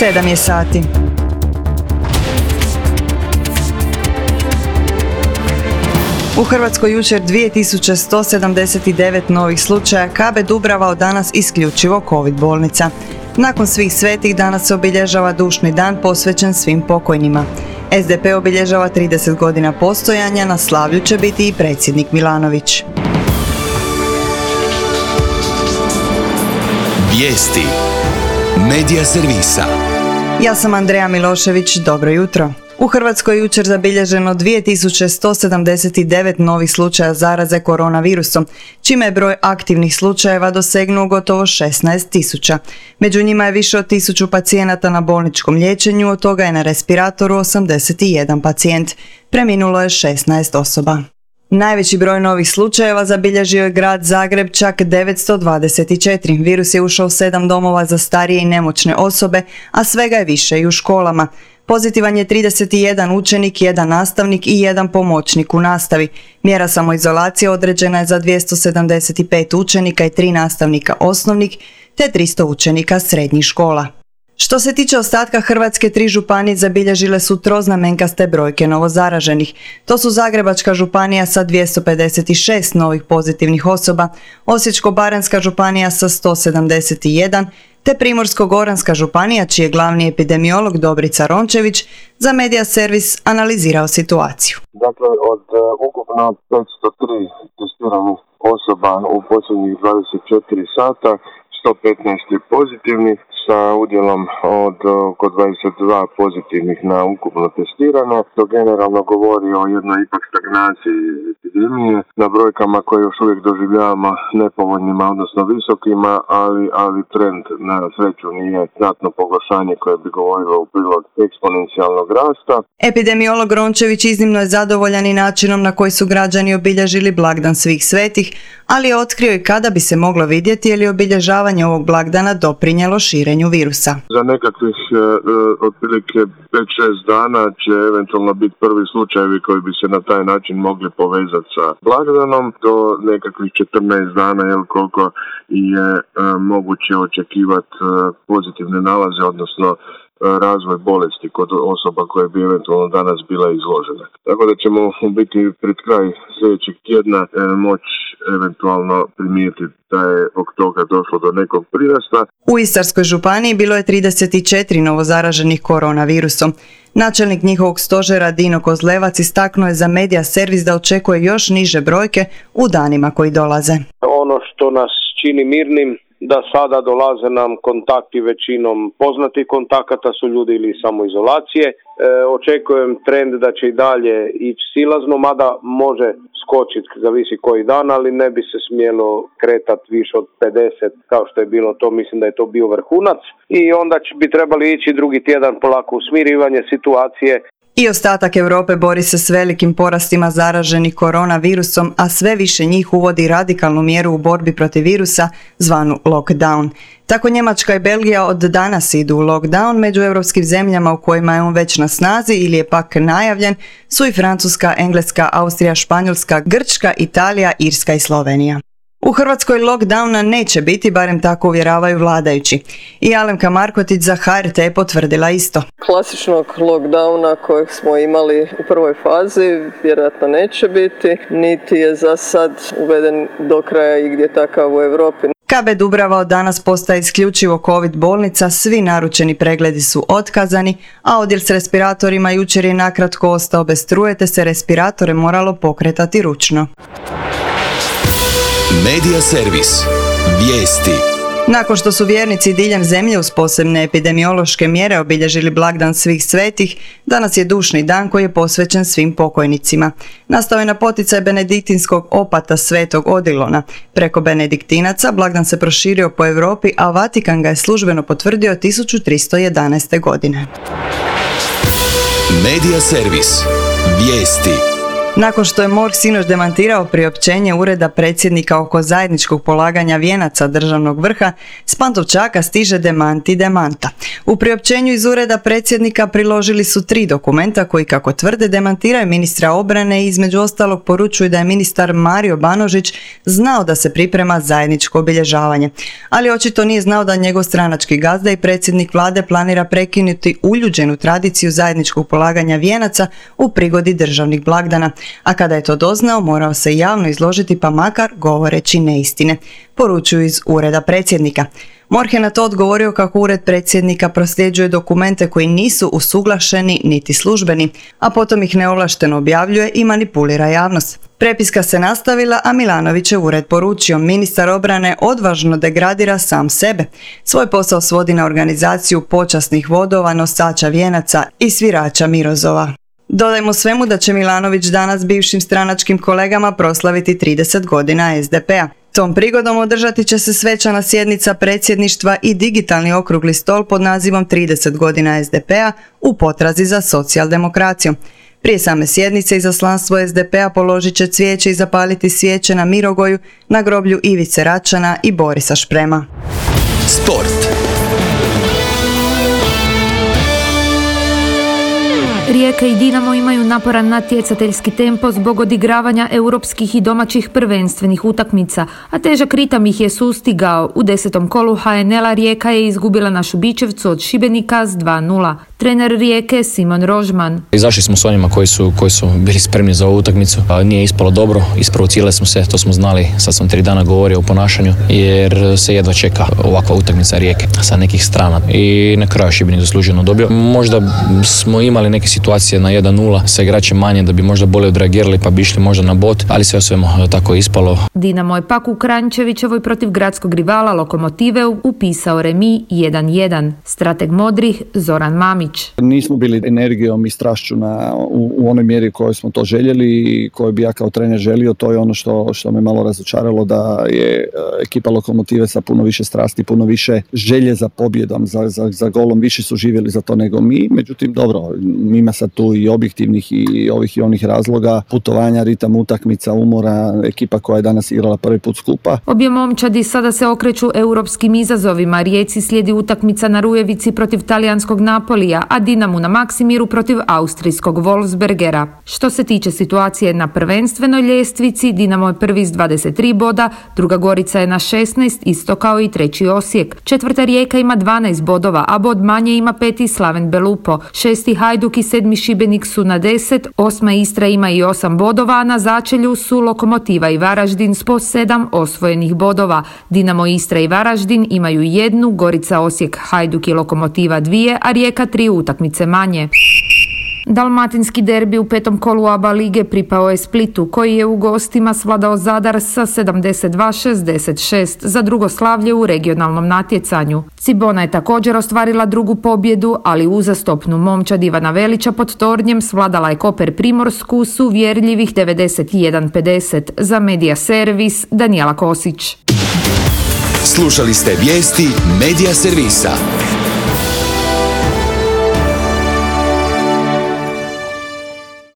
7 je sati. U Hrvatskoj jučer 2179 novih slučaja, KB Dubrava od danas isključivo COVID bolnica. Nakon svih svetih danas se obilježava dušni dan posvećen svim pokojnima. SDP obilježava 30 godina postojanja, na slavlju će biti i predsjednik Milanović. Vijesti Medija servisa. Ja sam Andreja Milošević, dobro jutro. U Hrvatskoj je jučer zabilježeno 2179 novih slučaja zaraze koronavirusom, čime je broj aktivnih slučajeva dosegnuo gotovo 16.000. Među njima je više od 1000 pacijenata na bolničkom liječenju, od toga je na respiratoru 81 pacijent. Preminulo je 16 osoba. Najveći broj novih slučajeva zabilježio je grad Zagreb, čak 924. Virus je ušao u 7 domova za starije i nemoćne osobe, a svega je više i u školama. Pozitivan je 31 učenik, 1 nastavnik i 1 pomoćnik u nastavi. Mjera samoizolacije određena je za 275 učenika i 3 nastavnika osnovnih, te 300 učenika srednjih škola. Što se tiče ostatka Hrvatske, 3 županije zabilježile su troznamenkaste brojke novozaraženih. To su Zagrebačka županija sa 256 novih pozitivnih osoba, Osječko-baranjska županija sa 171, te Primorsko-goranska županija, čiji je glavni epidemiolog Dobrica Rončević za Medija servis analizirao situaciju. Dakle, od ukupno 503 testiranih osoba u posljednjih 24 sata, 115 je pozitivnih, sa udjelom od oko 22 pozitivnih na ukupno testirane. To generalno govori o jednoj ipak stagnaciji epidemije na brojkama koje još uvijek doživljavamo nepovoljnima, odnosno visokima, ali trend na sreću nije znatno pogoršanje koje bi govorilo u prilog eksponencijalnog rasta. Epidemiolog Rončević iznimno je zadovoljan i načinom na koji su građani obilježili blagdan svih svetih, ali je otkrio i kada bi se moglo vidjeti je li obilježavanje ovog blagdana doprinijelo širenju virusa. Za nekakvih otprilike 5-6 dana će eventualno biti prvi slučajevi koji bi se na taj način mogli povezati sa blagdanom. Do nekakvih 14 dana koliko je moguće očekivati pozitivne nalaze, odnosno razvoj bolesti kod osoba koje bi eventualno danas bila izložena. Tako da ćemo biti pred kraj sljedećeg tjedna moći eventualno primijetiti da je zbog toga došlo do nekog prirasta. U Istarskoj županiji bilo je 34 novozaraženih koronavirusom. Načelnik njihovog stožera Dino Kozlevac istaknuo je za Medija servis da očekuje još niže brojke u danima koji dolaze. Ono što nas čini mirnim, da sada dolaze nam kontakti većinom poznatih kontakata, su ljudi ili samoizolacije. Očekujem trend da će i dalje ići silazno, mada može skočiti, zavisi koji dan, ali ne bi se smjelo kretati više od 50 kao što je bilo to, mislim da je to bio vrhunac. I onda bi trebali ići drugi tjedan polako u smirivanje situacije. I ostatak Europe bori se s velikim porastima zaraženih koronavirusom, a sve više njih uvodi radikalnu mjeru u borbi protiv virusa, zvanu lockdown. Tako Njemačka i Belgija od danas idu u lockdown. Među europskim zemljama u kojima je on već na snazi ili je pak najavljen su i Francuska, Engleska, Austrija, Španjolska, Grčka, Italija, Irska i Slovenija. U Hrvatskoj lockdowna neće biti, barem tako uvjeravaju vladajući. I Alemka Markotić za HRT je potvrdila isto. Klasičnog lockdowna kojeg smo imali u prvoj fazi vjerojatno neće biti, niti je za sad uveden do kraja i gdje takav u Europi. KB Dubrava od danas postaje isključivo COVID bolnica, svi naručeni pregledi su otkazani, a odjel s respiratorima jučer je nakratko ostao bez struje, te se respiratore moralo pokretati ručno. Medija servis. Vijesti. Nakon što su vjernici diljem zemlje uz posebne epidemiološke mjere obilježili blagdan svih svetih, danas je dušni dan koji je posvećen svim pokojnicima. Nastao je na poticaj benediktinskog opata Svetog Odilona. Preko benediktinaca blagdan se proširio po Europi, a Vatikan ga je službeno potvrdio 1311. godine. Medija servis. Vijesti. Nakon što je MORH sinoć demantirao priopćenje Ureda predsjednika oko zajedničkog polaganja vijenaca državnog vrha, s Pantovčaka stiže demanti demanta. U priopćenju iz Ureda predsjednika priložili su 3 dokumenta koji, kako tvrde, demantiraju ministra obrane i između ostalog poručuju da je ministar Mario Banožić znao da se priprema zajedničko obilježavanje. Ali očito nije znao da njegov stranački gazda i predsjednik vlade planira prekinuti uljuđenu tradiciju zajedničkog polaganja vijenaca u prigodi državnih blagdana. A kada je to doznao, morao se javno izložiti, pa makar govoreći neistine, poručuju iz Ureda predsjednika. MORH je na to odgovorio kako Ured predsjednika prosljeđuje dokumente koji nisu usuglašeni niti službeni, a potom ih neovlašteno objavljuje i manipulira javnost. Prepiska se nastavila, a Milanović je ured poručio: ministar obrane odvažno degradira sam sebe. Svoj posao svodi na organizaciju počasnih vodova, nosača vijenaca i svirača Mirozova. Dodajmo svemu da će Milanović danas bivšim stranačkim kolegama proslaviti 30 godina SDP-a. Tom prigodom održati će se svečana sjednica predsjedništva i digitalni okrugli stol pod nazivom 30 godina SDP-a u potrazi za socijaldemokracijom. Prije same sjednice izaslanstvo SDP-a položit će cvijeće i zapaliti svijeće na Mirogoju, na groblju Ivice Račana i Borisa Šprema. Sport. Rijeka i Dinamo imaju naporan natjecateljski tempo zbog odigravanja europskih i domaćih prvenstvenih utakmica, a težak ritam ih je sustigao. U 10. kolu HNL-a Rijeka je izgubila na Šubićevcu od Šibenika s 2:0. Trener Rijeke Simon Rožman. Izašli smo s onima koji su bili spremni za ovu utakmicu. Nije ispalo dobro, isprovocirali smo se, to smo znali, sad sam 3 dana govorio o ponašanju, jer se jedva čeka ovakva utakmica Rijeke sa nekih strana. I na kraju Šibenik zasluženo dobio. Možda smo imali neke situacije na 1:0 sa igračem manje da bi možda bolje odreagirali pa bi išli možda na bod, ali sve o svemu tako je ispalo. Dinamo je pak u Kranjčevićevoj protiv gradskog rivala Lokomotive upisao remi 1:1. Strateg modrih Zoran Mamić. Nismo bili energijom i strašću u onoj mjeri kojoj smo to željeli i koju bi ja kao trener želio. To je ono što me malo razočaralo, da je ekipa Lokomotive sa puno više strasti, puno više želje za pobjedom, za golom, više su živjeli za to nego mi. Međutim, dobro, ima sad tu i objektivnih i ovih i onih razloga, putovanja, ritam utakmica, umora, ekipa koja je danas igrala prvi put skupa. Obje momčadi sada se okreću europskim izazovima. Rijeci slijedi utakmica na Rujevici protiv talijanskog Napolija, a Dinamu na Maksimiru protiv austrijskog Wolfsbergera. Što se tiče situacije na prvenstvenoj ljestvici, Dinamo je prvi s 23 boda, druga Gorica je na 16, isto kao i treći Osijek. Četvrta Rijeka ima 12 bodova, a bod manje ima peti Slaven Belupo. Šesti Hajduk i sedmi Šibenik su na 10, osma Istra ima i 8 bodova, a na začelju su Lokomotiva i Varaždin s po 7 osvojenih bodova. Dinamo, Istra i Varaždin imaju 1, Gorica, Osijek, Hajduk i Lokomotiva 2, a Rijeka 3 utakmice manje. Dalmatinski derbi u 5. kolu ABA lige pripao je Splitu, koji je u gostima svladao Zadar sa 72-66 za drugo slavlje u regionalnom natjecanju. Cibona je također ostvarila drugu pobjedu, ali uzastopnu momčad Ivana Velića pod tornjem svladala je Koper Primorsku s uvjerljivih 91-50. Za Medija Servis Danijela Kosić. Slušali ste vijesti Medija Servisa.